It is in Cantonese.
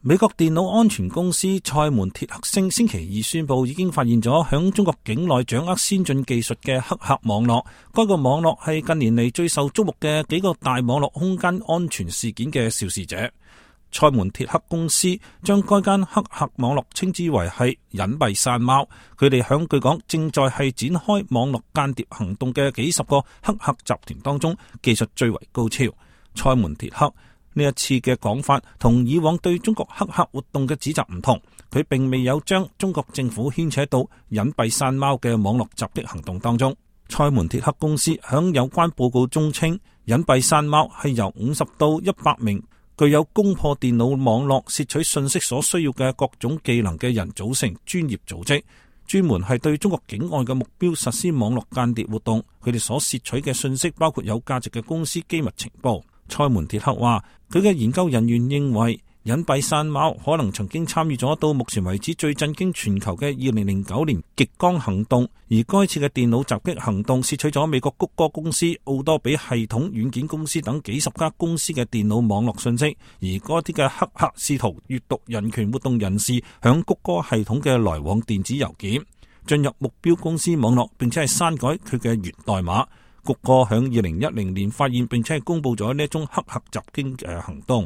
美國電腦安全公司賽門鐵克星星期二宣布，已經發現咗響中國境內掌握先進技術嘅黑客網絡。該個網絡係近年嚟最受矚目嘅幾個大網絡空間安全事件嘅肇事者。賽門鐵克公司將該間黑客網絡稱之為係隱蔽山貓。佢哋響據講正在係展開網絡間諜行動嘅幾十個黑客集團當中，技術最為高超。賽門鐵克呢一次嘅講法同以往對中國黑客活動嘅指責唔同，佢並未有將中國政府牽扯到隱蔽山貓嘅網絡襲擊行動當中。賽門鐵克公司響有關報告中稱，隱蔽山貓係由50到100名具有攻破電腦網絡竊取信息所需要嘅各種技能嘅人組成專業組織，專門係對中國境外嘅目標實施網絡間諜活動。佢哋所竊取嘅信息包括有價值嘅公司機密情報。賽門鐵克話，佢嘅研究人員認為隱蔽山貓可能曾經參與咗到目前為止最震驚全球嘅2009年極光行動，而該次嘅電腦襲擊行動竊取咗美國谷歌公司、奧多比系統軟件公司等幾十家公司嘅電腦網絡信息，而嗰啲嘅黑客試圖閱讀人權活動人士響谷歌系統嘅來往電子郵件，進入目標公司網絡，並且係刪改佢嘅源代碼。谷歌響2010年發現並且係公布咗呢一宗黑客襲擊嘅行動。